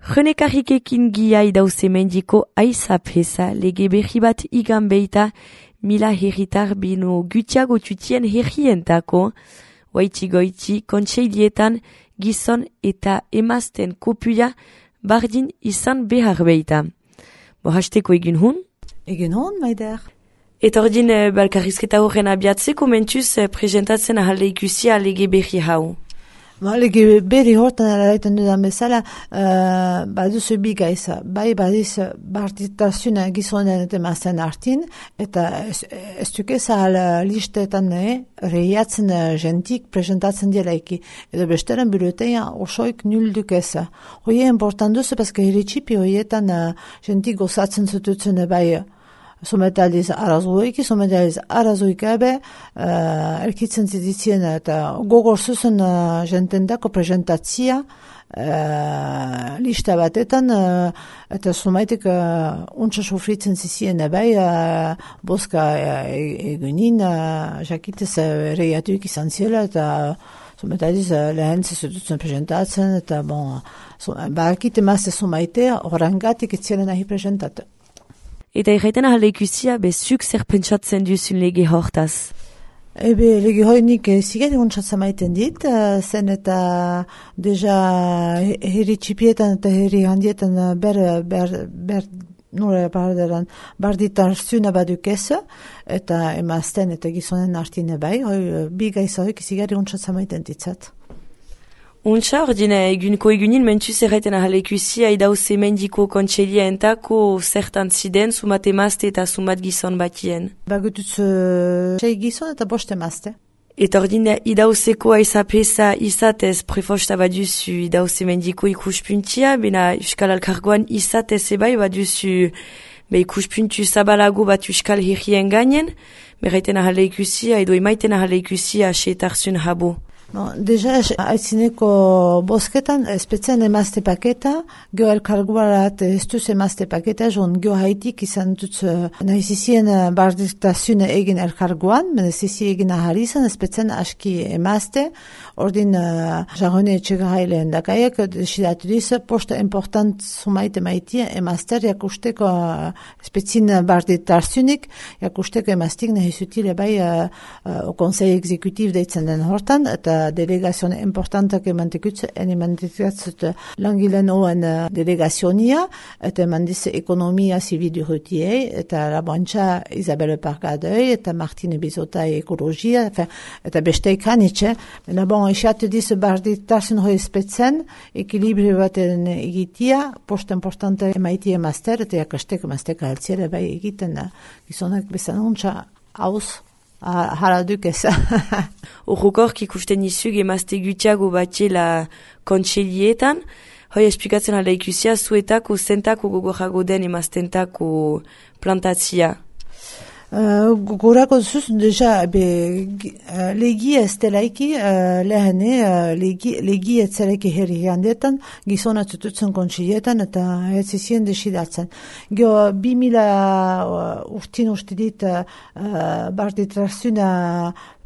Jenekarrikekin gia idauze mendiko aizap heza, lege berri bat igan beita, mila herritar bino gutiago tutien herrientako, waiti goiti kontseilietan gizon eta emazten kopuia bardin izan behar beita. Bo hasteko egin hun? Egin hun, maider. Eta ordin balkarrizketa horren abiatzeko mentuz presentatzen ahalde ikusia lege berri hau. Lege berri hortan eraiten dudan bezala, baduzu bi gaiza. Bai badiz barditazioa gizonen eta emazten artin, eta ez duke zahal listetan rehiatzen jentik presentatzen dielaiki. Edo besteren bilutean osoik nul dukeza. Hoi important duzu, paske herritxipi hoietan jentik gozatzen zututzen bai sometaliz arazoiki, sometaliz arazoikabe, erkitzen ziditzien eta gogor zuzen jentendako presentatzia lista batetan, eta somaitek untsa sofritzen zizien bai, boska egunin, jakitez reiatuik izan ziela, eta sometaliz lehen zizututzen presentatzen, eta bon, bakite mazte somaitea, orangatik etzielen nahi presentatu. Eta erraiten ahalde ikusia, bezuk zer pentsatzen duzun lege hortaz? Lege hoinik ziget untsatzen maiten dit, zen eta deja herri txipietan eta herri handietan barditarzuna badukeza, eta emazten eta gizonen artine bai, bi gaiza hoik ziget untsatzen maiten ditzat. Untsa, ordine, egunin mentuz erraiten ahalde ikusia, idauze mendiko kontselia entako zertan ziden, sumat emazte eta sumat gizon batien. Bagutuz 6 gizon eta 5 emazte. Eta ordine, idauzeko aizapesa izatez prefosta baduzu idauze mendiko ikuspuntia, bena Euskal Alkargoan izatez ebai baduzu ikuspuntu zabalago bat Euskal Herrien gainen, berraiten ahalde ikusia, edo emaiten ahalde ikusia seetarzun habo. Deja, aitzineko bosketan, espetzen emazte paketa, geo elkarguarat ez duz emazte paketa, joan geo haitik izan dut nahizizien barditazune egin elkarguan, menezizien egin ahari izan, espetzen aski emazte, ordin jarrone etxegahailen dakaiak, desidatu diz, posta important sumaite maitia, emazter jakusteko espetzin barditazunik, jakusteko emaztik nahizutile bai konsei exekutiv deitzen den hortan, eta delegazioan importantak emantikatzt langilen oen delegazionia, eta emandiz ekonomia zibidu rutiei, eta labantxa Isabelle Pargadei, eta Martine Bizota ekologia, eta besteik hanitxe. Mena bon, esatu diz barditasun hoi espetzen, ekilibri baten egitia, post importante emaitie master, eta jakastek mastek altziere bai egiten, gizonak bezan untxa hauz, hala dukez. Urrukork ikusten izug emazte gutiago batela kontseilietan, hoi esplikatzen alda ikusia zuetako zentako gogorago den emaztentako plantatzia. Gogorako zuz, deja, legi ez delaiki, lehene, legi ez delaiki herri handetan, gizona tututzen kontseilietan, eta ez izien desidatzen. Gio, 2000 urtin ustidit barditrazuna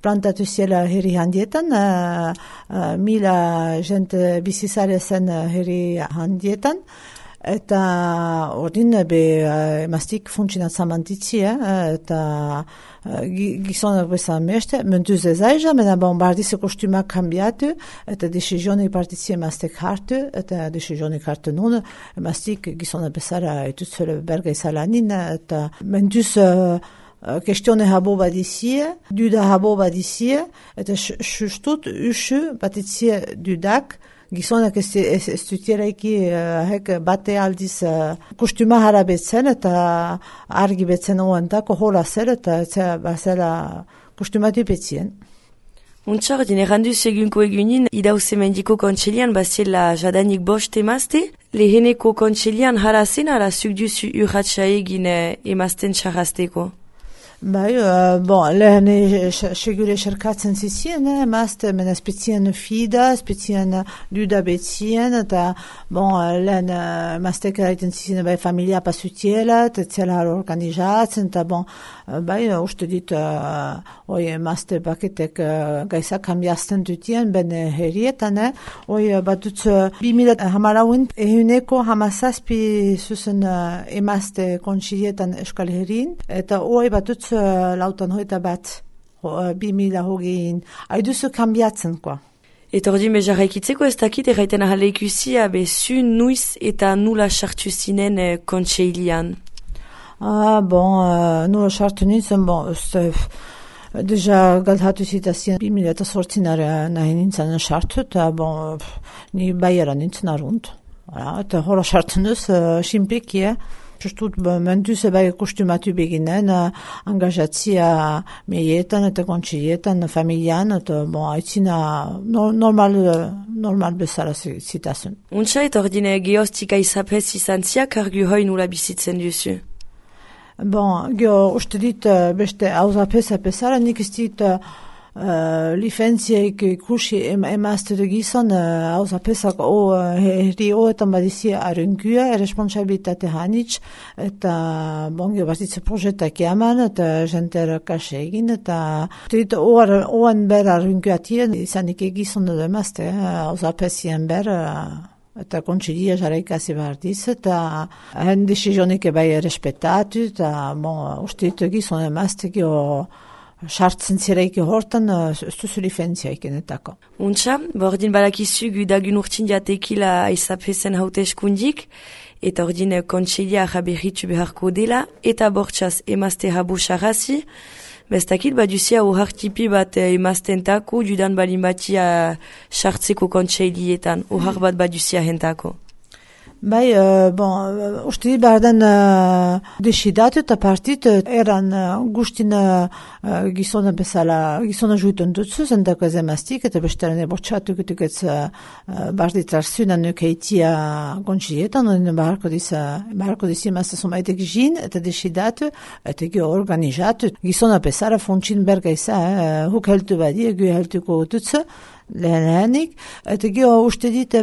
plantatu ziela herri handietan, 1000 jente bizizare zen herri handietan, eta ordin emaztik funtzionatzen mantitzi, eta gizonak bezan meste, mentuz ez aiza, mena bardize kostumak kambiatu, eta desizionik partitzi emaztek hartu, eta desizionik hartu nun, emaztik gizonak bezara etutzele berga izalanin, eta mentuz kestione habo badizie, duda habo badizie, eta sustut usu batitzie dudak, gizonak ez dutieraiki bate aldiz kostuma harabetzen eta argi betzen oantako hola zer eta bazela kostumatu betzien. Untsar, errandu segunko egunin, idauze mendiko kontselian bazela jadanik 5 emazte, leheneko kontselian harazen ara zuk duzu urratxa egin emazten txarrazteko? Bai, lehen segure eserkatzen zizien, emazte, mena spezian fida, spezian duda betzien, eta, lehen emaztek eraiten zizien, familia pasutiela, tetzela organizatzen, eta, uste dit, emazte paketek gaizak kambiazten dutien, ben herrietan, batutz 2010 ehuneko hamazazpi zuzen emazte kontsilietan Euskal Herrin, eta batutz lautan hoita bat 2020 haiduzu kambiatzen, koa. Eta ordin bejarraikitzeko ez dakit erraiten ahale ikusia zu nuiz eta nula sartu zinen kontseilian? Nula sartu nintzen, deja galthatu zitazien 2008 nahi nintzen sartu, eta ni baiera nintzen arunt. Eta hola sartu nuz, simpeki, Justut, mentuz kostumatu beginen, angajatzia meietan eta kontsilietan, familian, eta haitzina normal bezala zitazun. Untsa eta ordine geostika izapez izan ziak argu hoi nula bizitzen duzu? Uste dit beste hauzapez apesara, nik ez dit lifentziaik ikusi emazte de gizon hauzapezak herri hoetan badizi arungua, responsabilitate hanitz, eta batitze projetak eman, eta jenter kase egin, eta oan ber arunguatien, izanik egizon edo emazte, hauzapezien ber, eta kontsilia jarraikasi behar diz, eta hen desizionik respetatu, eta uste dit gizon emazte sartzen zireike hortan, ez duzu lifentziaik enetako. Untsa, bordin balakizu gudagun urtin jatekila aizapezen haute eskundik, eta ordin kontseilia ahaberritu beharko dela, eta bortxaz emazte habu sarrazi, bestakit baduzia tipi bat emaztentako, judan balin batia sartzeko kontseilietan, ohar bat baduzia hentako. Uste bardan desidatu eta partit eran gustin gizona bezala, gizona juitun dutzu, zendako ez emaztik, eta bestaren ebortxatu gutuketz barditzarzuna nukeitia kontsilietan, barako disi emazte somaitek jin, eta desidatu, eta organizatu, gizona bezala funtsin bergaiza, huk heltu badi, egu heltuko dutzu, lehenik, eta uste dit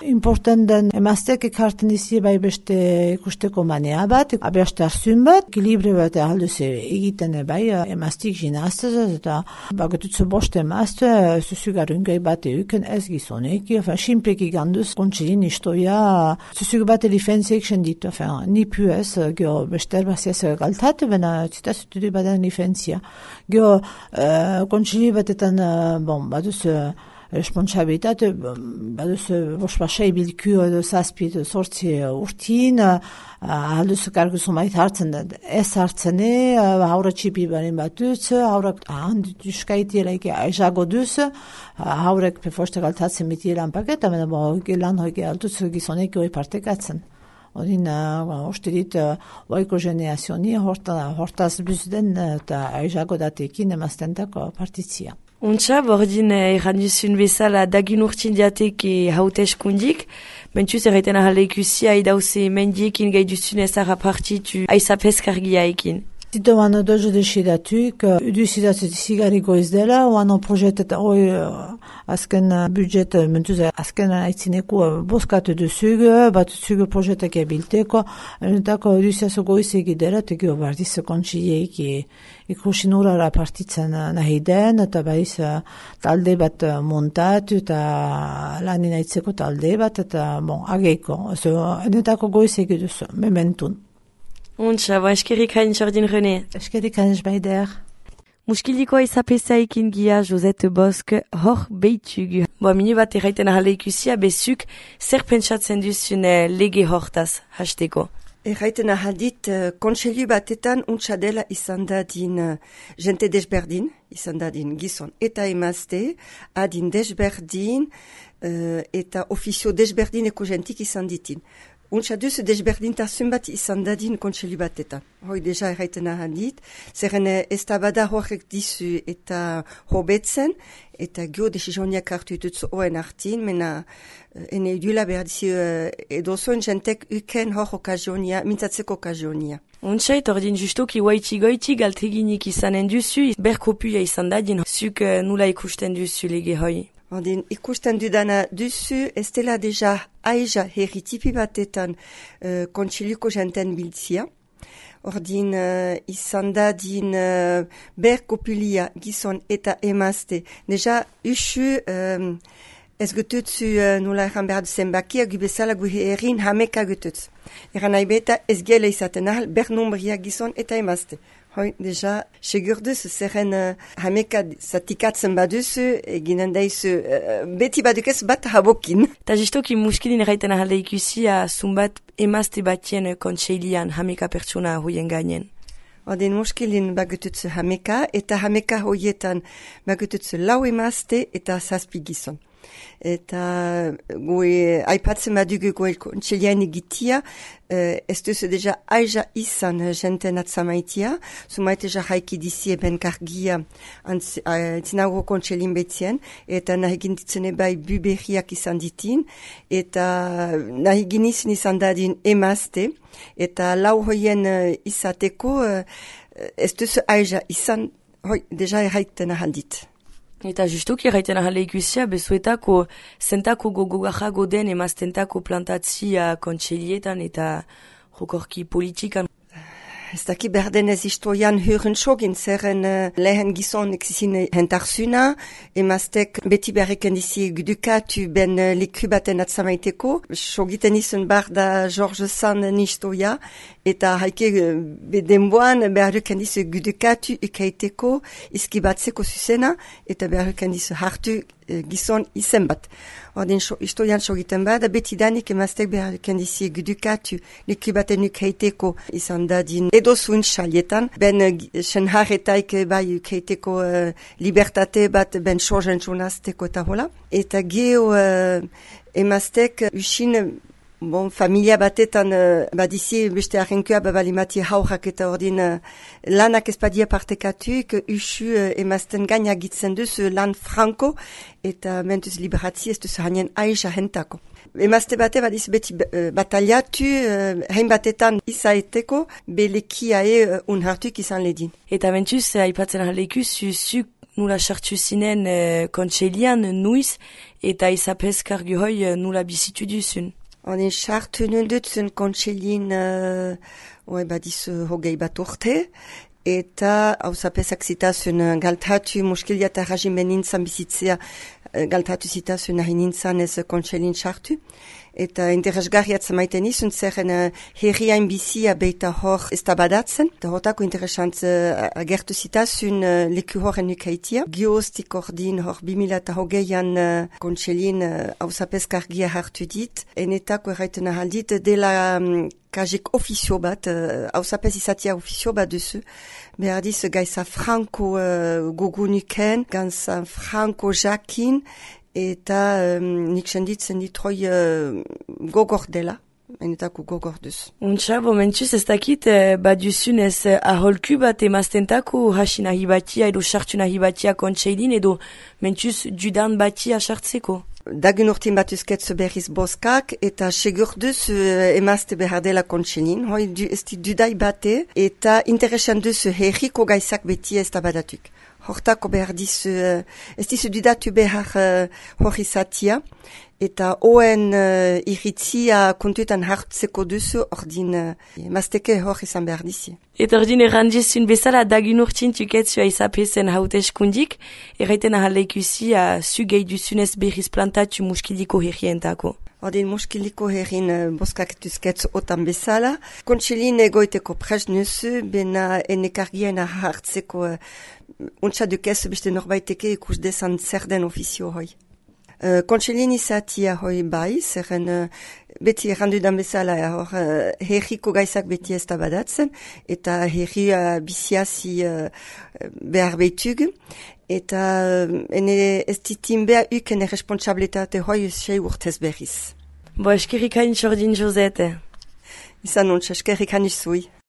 important den emaztek ekarten izi beste ikusteko manea bat, abeaste arzun bat, ekilibre bat alduz egiten emaztik jinaztez, eta bagatutzu boste emazte, zuzugarungai bat euken ez gizonek, simplik iganduz kontsilin istoia, zuzugu bat elifentziek senditu, ni pu ez, bester baziaz galtatu, bena zitazutu du baden elifentzia. Kontsili batetan, baduz responsabilitate, baduz bospasei bilku edo zazpi edo sortzi urtin, alduz kargu zumait hartzen, ez hartzene, haura txipi baren batuz, haurak handitzkaiti elaike aizago duz, haurek pefoste galtatzen biti lan paketa, lan hoike alduz gizonek hoi partekatzen. Odin, uste dit, oiko generazioa hortaz buzden eta aizago datekin emaztentako partitzia. Untsa, bordin erranduzun bezala dagin urtin diateke haute eskundik, mentuz erraiten ahale ikusia idauze mendiekin gaiduzun ezara partitu aizapezkargia ekin. Tito wano dojo desidatuk, uduzidatzu zigariko ez dela, wano projetet azken budget, mentuz azken aitzineko boskatu duzugu, bat zugu projetak ebilteko, entako uduzidatzu goizegi dela, tegio bardiz kontsieik ikusin urara partitzen nahi den, eta baiz talde bat montatu, eta lanin aitzeko talde bat, eta ageiko, entako goizegi duzu, mementun. Untsa, eskerik hain Jordin René. Eskerik hain baider. Muskildiko aizapezaikin gia Josette Bosk hor beitugu. Minu bat erraiten ahale ikusia bezuk zer pentsatzen duzun lege hortaz hasteko. Erraiten ahaldit kontseilu batetan untsa dela izan dadin jente desberdin, izan dadin gizon eta emazte, adin desberdin eta ofizio desberdineko jentik izan ditin. Untsa duzu desberdintasun bat izan dadin kontseilu batetan. Hoi deja erraiten ahaldit, zerren ez da bada horrek dizu eta hobetzen, eta gio desizoniak hartu ditutzu oen hartin, mena ene idula behar dizu edozoen jentek uken hor okazionia, mintzatzeko okazionia. Untsait, ordin justoki waitzi-goitzi galteginik izanen duzu, berkopuia izan dadin, zuk nula ikusten duzu lege hoi. Ordin, ikusten dudana duzu, ez dela deja aiza herritipi batetan kontseiluko jenten biltzia. Ordin, izan dadin berkopulia gizon eta emazte. Deja, usu ez gututzu nula erran behar duzen bakia, gubezala guhe erin hameka gututzu. Eran nahi beta ez gela izaten ahal bernumbria gizon eta emazte. Hoi, deja, segur duzu, zerren hameka zatikatzen baduzu, eginen daizu, beti badukez bat habokin. Ta justoki muskilin erraiten ahalde ikusi zumbat emazte batien kontseilian hameka pertsona hoien gainen. Ordin muskilin bagututzu hameka, eta hameka hoietan bagututzu lau emazte eta zazpi gizon. Eta goe aipatzen badugu goe kontseilean egitia, ez duzu deja aiza izan jenten atzamaitia, sumaite jahaiki dizi eben kargia tinago kontseilin betzien, eta nahi ginditzen ebai buberiak izan ditin, eta nahi ginizun izan dadin emazte, eta lau hoien izateko ez duzu aiza izan, hoi, deja erraiten ahaldit. Eta justuki erraiten ahalde ikusia, bezuetako zentako gogogajago den emaztentako plantatzia kontseilietan eta jokorki politikan. Ez daki berdenez historian hören sogin, zerren lehen gizon exizin hentarzuna, emaztek beti berreken dizi gudukatu ben liku baten atzamaiteko, sogiten izan bar da George Sand historia, eta haike denboan berreken dizi gudukatu ikaiteko, izkibatzeko zuzena, eta berreken dizi hartu gizon izen bat. Ordin historian sogiten bada, beti danik emaztek berreken dizi gudukatu liku baten ukaiteko izan dadin edo zuen xalietan, ben senharretaik bai ukaiteko libertate bat ben sozen txunazteko eta hola. Eta geho emaztek usin familia batetan badizi beste arrenkua babalimati haurrak eta ordin lanak ezpadia partekatuk usu emazten gaina gitzen duzu lan franko eta mentuz liberatzi ez duzu hainen aiza hentako. Emazte bate badiz beti bataliatu hein batetan izaeteko belekia unhartuk izan ledin. Eta mentuz aipatzen ahaleikuz zuk nula sartu zinen kontseilian nuiz eta izapezkar gehoi nula bizitu duzun. Ordin sartu nundutzen kontseilin badiz hogei bat urte, eta hausapezak zitazun galtatu muskilia eta rajimen nintzan bizitzea galtatu zitazun nahi nintzan ez kontseilin sartu. Eta interesgarriat zamaiten izun zerren herriain bizia beita hor ez tabadatzen. Eta hortako interesant agertu zitazun leku horren ukaitia. Gioztik ordin hor 2008an kontseilin hausapezkargia hartu dit. Enetako erraiten ahaldit dela kajek ofizio bat, hausapez izatia ofizio bat duzu. Behar diz gaisa franko gogunuken, gaisa franko jakin, eta nik senditzen ditroi gogor dela, enetako gogor duz. Untsa, mentuz ez dakit, baduzun ez aholku bat emaztentako hasi nahi batia edo sartu nahi batia kontseilin edo mentuz judan batia sartzeko. Dagun urtin batuzketzu berriz boskak eta segur duz emazte behar dela kontseilin, hoi ez dudai bate eta interesan duz herriko gaizak beti ez tabadatuk. Hortako behar dizu, ez dizu dudatu behar hori zatia, eta oen iritzia kontuetan hartzeko duzu, ordin emazteke hori izan behar dizi. Eta ordin errandizun bezala dagun urtin tuketzu aizapezen hauteskundik, erraiten ahaleikusi zu gehi duzunez berriz plantatu muskiliko herrientako. Ordin muskiliko herrin boskaketuzketzu otan bezala. Kontseilin egoiteko presnuzu, bena enekargien hartzeko untsa dukezu beste norbaiteke ikus desan zer den ofizio hoi. Kontseilin izatia hoi bai, zerren beti errandudan bezala herriko gaizak beti ez tabadatzen, eta herri biziazi behar behitug, eta ene ez ditin behar uken responsabilitate hoi sei urtez berriz. Bo eskerrik hain Josette. Izan ontsa, eskerrik hain zui.